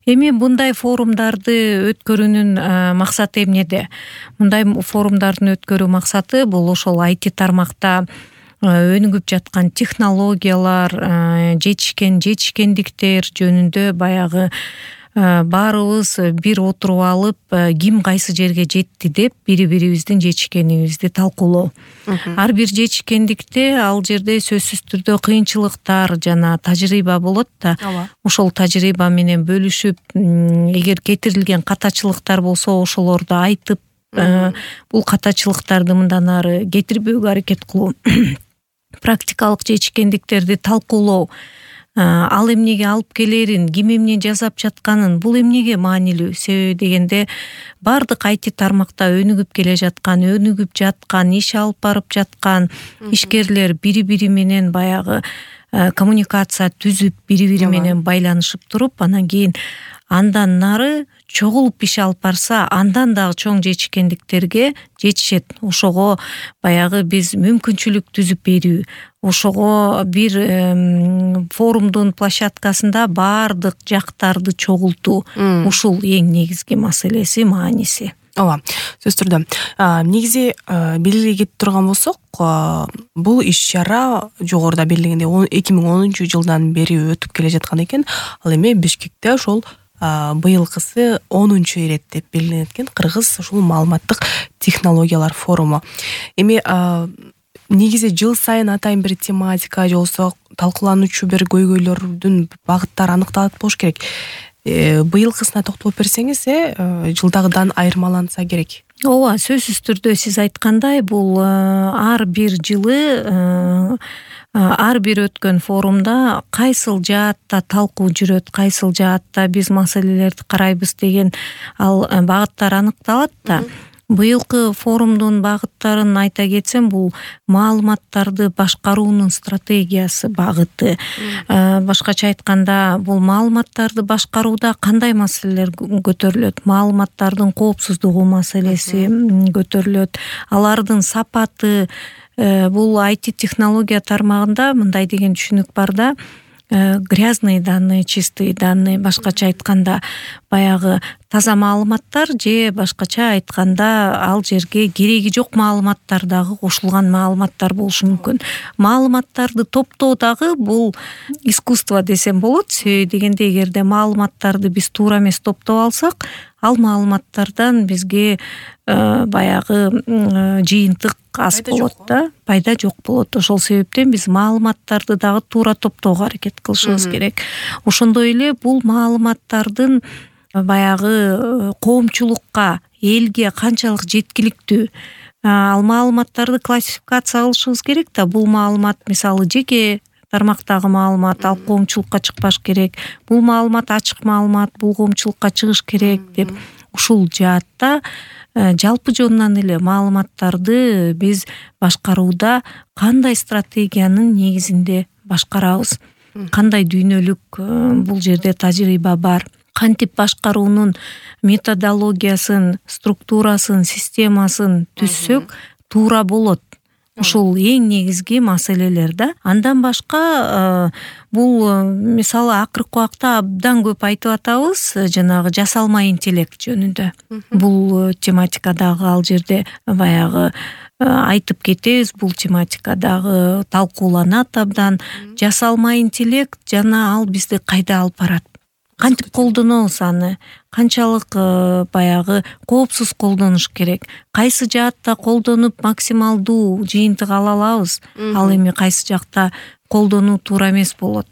Эми мындай форумдарды өткөрүүнүн максаты эмнеде? Мындай форумдардын өткөрүү максаты бул ошол IT тармакта өнүгүп жаткан технологиялар, жетишкендиктер жөнүндө баягы баарыбыз бир отуруп алып, ким кайсы жерге жетти деп бири-бирибиздин жетишкенибизди талкуулоо. Ар бир жетишкендикте ал жерде сөзсүз түрдө кыйынчылыктар жана тажрыйба болот да. Ошол тажрыйба менен бөлүшүп, эгер кетирилген катачылыктар болсо ошолорду айтып, бул катачылыктарды мындан ары кетирбөөгө аракет кылуу. Практикалык жетишкендиктерди талкуулоо, ал эмнеге алып келерин, ким эмне жасап жатканын, бул эмнеге маанилүү? Себеби дегенде бардык IT тармакта өнүгүп келе жаткан, иш алып барып жаткан ишкерлер бири-бири менен баягы коммуникация түзүп, бири-бири менен байланышып туруп, анан кийин андан нары чогулуп иш алып барса, андан дагы чоң жетишкендиктерге жетишет. Ошого баягы биз мүмкүнчүлүк түзүп берүү, ошого бир форумдун площадкасында бардык жактарды чогултуу, ушул эң негизги маселеси, мааниси. Ооба, сөзсүз түрдө. Негизи белгилей кетип турган болсок, бул иш-чара жогоруда белгиленгендей 2010-жылдан бери өтүп келе жаткан экен. Ал эми Бишкекте ошол быйылкысы 10-чу ирет деп белгиленет экен, Кыргыз ушул маалыматтык технологиялар форуму. Эми негизи жыл сайын атайын бир тематика же болсо талкуулануучу бир көйгөйлөрдүн багыттары аныкталат болуш керек. Быйылкысына токтолуп берсеңиз, жылдагыдан айырмаланса керек. Ооба, сөзсүз түрдө сиз айткандай, бул ар бир жылы ар бир өткөн форумда кайсыл жаатта талкуу жүрөт, кайсыл жаатта биз маселелерди карайбыз деген ал багыттар аныкталат да. Быйылкы форумдун багыттарын айта кетсем, бул маалыматтарды башкаруунун стратегиясы багыты. Башкача айтканда, бул маалыматтарды башкарууда кандай маселелер көтөрүлөт? Маалыматтардын коопсуздугу маселеси көтөрүлөт, алардын сапаты. Бул IT технология тармагында мындай деген түшүнүк бар да, грязные данные, чистые данные, башкача айтканда баягы таза маалыматтар же башкача айтканда ал жерге кереги жок маалыматтар дагы кошулган маалыматтар болушу мүмкүн. Маалыматтарды топтоо дагы бул искусство десем болот. Себеби дегенде эгерде маалыматтарды биз туура эмес топтоп алсак, ал маалыматтардан бизге баягы жыйынтык аз болот да, пайда жок болот. Ошол себептен биз маалыматтарды дагы туура топтоого аракет кылышыбыз керек. Ошондой эле бул маалыматтардын баягы коомчулукка, элге канчалык жеткиликтүү, ал маалыматтарды классификация кылышыбыз керек да. Бул маалымат мисалы жеке тармактагы маалымат, ал коомчулукка чыкпаш керек. Бул маалымат ачык маалымат, бул коомчулукка чыгыш керек деп ушул жаатта жалпы жонунан эле маалыматтарды биз башкарууда кандай стратегиянын негизинде башкарабыз, кандай дүйнөлүк бул жерде тажрыйба бар, кантип башкаруунун методологиясын, структурасын, системасын түзсөк туура болот. Ушул эң негизги маселелер да. Андан башка бул мисалы акыркы убакта абдан көп айтып атабыз жанагы жасалма интеллект жөнүндө. Бул тематикадагы ал жерде баягы айтып кетебиз, бул тематикадагы талкууланат абдан. Жасалма интеллект жана ал бизди кайда алып барат? Кантип колдонобуз аны? Канчалык баягы коопсуз колдонуш керек? Кайсы жаатта колдонуп максималдуу жыйынтык ала алабыз? Ал эми кайсы жакта колдонуу туура эмес болот?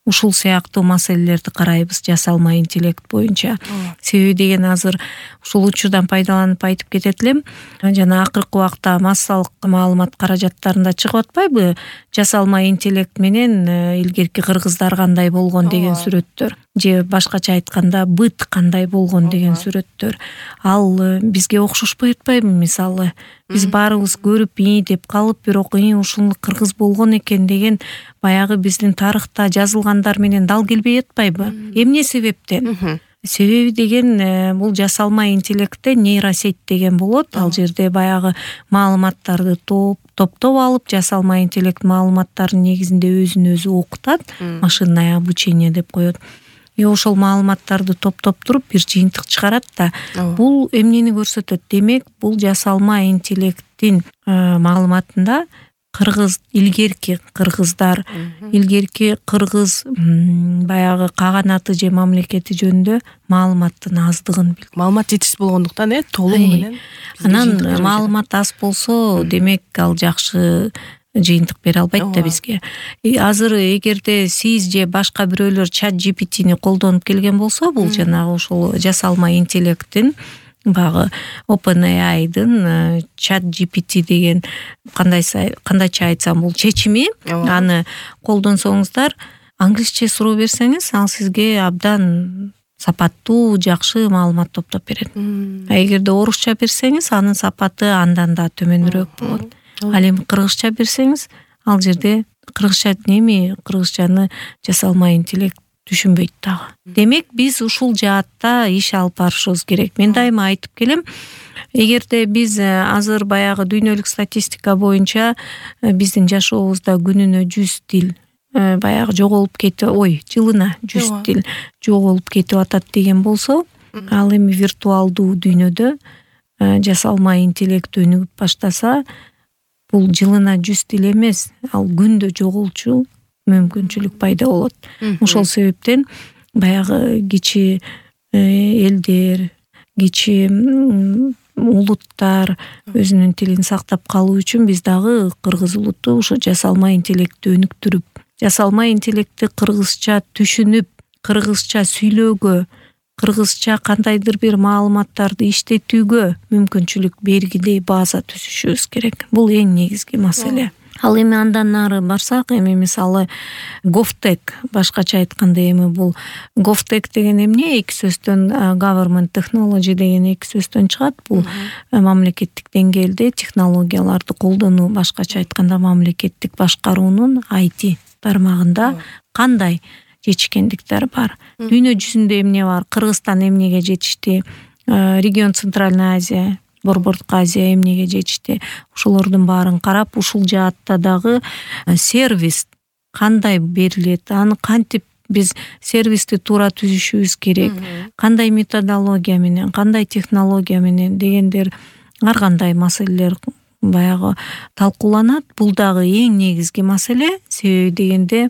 Ушул сыяктуу маселелерди карайбыз жасалма интеллект боюнча. Себеби деген азыр ушул учурдан пайдаланып айтып кетет элем. Жана акыркы убакта массалык маалымат каражаттарында чыгып атпайбы? Жасалма интеллект менен илгерки кыргыздар кандай болгон деген сүрөттөр. Же башкача айтканда быт кандай болгон деген сүрөттөр. Ал бизге окшошпой атпайбы мисалы? Биз баарыбыз көрүп деп калып, бирок ушул кыргыз болгон экен деген баягы биздин тарыхта жазылгандар менен дал келбей атпайбы? Эмне себептен? Себеби деген бул жасалма интеллектте нейросеть деген болот. Ал жерде баягы маалыматтарды топтоп алып, жасалма интеллект маалыматтардын негизинде өзүн өзү окутат, машинное обучение деп коет. ошол маалыматтарды топтоп туруп бир жыйынтык чыгарат да. Бул эмнени көрсөтөт? Демек, бул жасалма интеллекттин маалыматында илгерки кыргыздар, илгерки кыргыз баягы каганаты же мамлекети жөнүндө маалыматтын аздыгын билдирет. Маалымат жетишсиз болгондуктан толугу менен. Анан маалымат аз болсо, демек ал жакшы жыйынтык бере албайт да бизге. Азыр эгерде сиз же башка бирөөлөр чат GPT-ни колдонуп келген болсо, бул жанагы ошол жасалма интеллекттин багы OpenAI-дын чат GPT деген кандайча айтсам бул чечими, аны колдонсоңуздар, англисче суроо берсеңиз, ал сизге абдан сапаттуу, жакшы маалымат топтоп берет. Эгерде орусча берсеңиз, анын сапаты андан да төмөнүрөөк болот. Ал эми кыргызча берсеңиз, ал жерде кыргызчаны жасалма интеллект түшүнбөйт дагы. Демек, биз ушул жаатта иш алып барышыбыз керек. Мен дайыма айтып келем, эгерде биз азыр баягы дүйнөлүк статистика боюнча биздин жашообузда күнүнө 100 тил баягы жоголуп кетип, жылына 100 тил жоголуп кетип атат деген болсо, ал эми виртуалдуу дүйнөдө жасалма интеллект өнүгүп баштаса, бул жылына 100 тил эмес, ал күндө жоголчу мүмкүнчүлүк пайда болот. Ошол себептен баягы кичи элдер, кичи улуттар өзүнүн тилин сактап калуу үчүн биз дагы кыргыз улуту ошо жасалма интеллектти өнүктүрүп, жасалма интеллектти кыргызча түшүнүп, кыргызча сүйлөөгө, кыргызча кандайдыр бир маалыматтарды иштетүүгө мүмкүнчүлүк бергилей база түзүшүбүз керек. Бул эң негизги маселе. Ал эми андан нары барсак, эми мисалы GovTech, башкача айтканда эми бул GovTech деген эмне? Эки сөздөн government technology деген эки сөздөн чыгат. Бул мамлекеттик деңгээлде технологияларды колдонуу, башкача айтканда мамлекеттик башкаруунун IT тармагында кандай жетишкендиктер бар. Дүйнө жүзүндө эмне бар? Кыргызстан эмнеге жетишти? Регион Центральная Азия, Борбордук Азия эмнеге жетишти? Ошолордун баарын карап, ушул жаатта дагы сервис кандай берилет, аны кантип биз сервисти туура түзүшүбүз керек, кандай методология менен, кандай технология менен дегендер ар кандай маселелер баягы талкууланат. Бул дагы эң негизги маселе. Себеби дегенде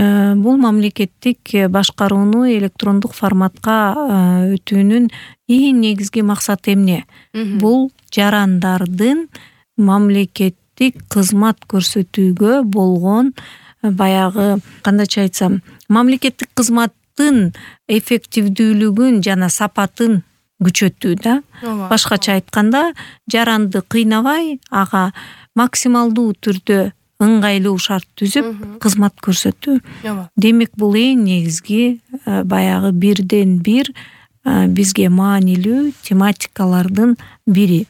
бул мамлекеттик башкарууну электрондук форматка өтүүнүн эң негизги максаты эмне? Бул жарандардын мамлекеттик кызмат көрсөтүүгө болгон баягы кандайча айтсам, мамлекеттик кызматтын эффективдүүлүгүн жана сапатын күчөтүү да. Башкача айтканда, жаранды кыйнабай, ага максималдуу түрдө ыңгайлуу шарт түзүп кызмат көрсөтүү. Демек, бул эң негизги баягы бирден бир бизге маанилүү тематикалардын бири.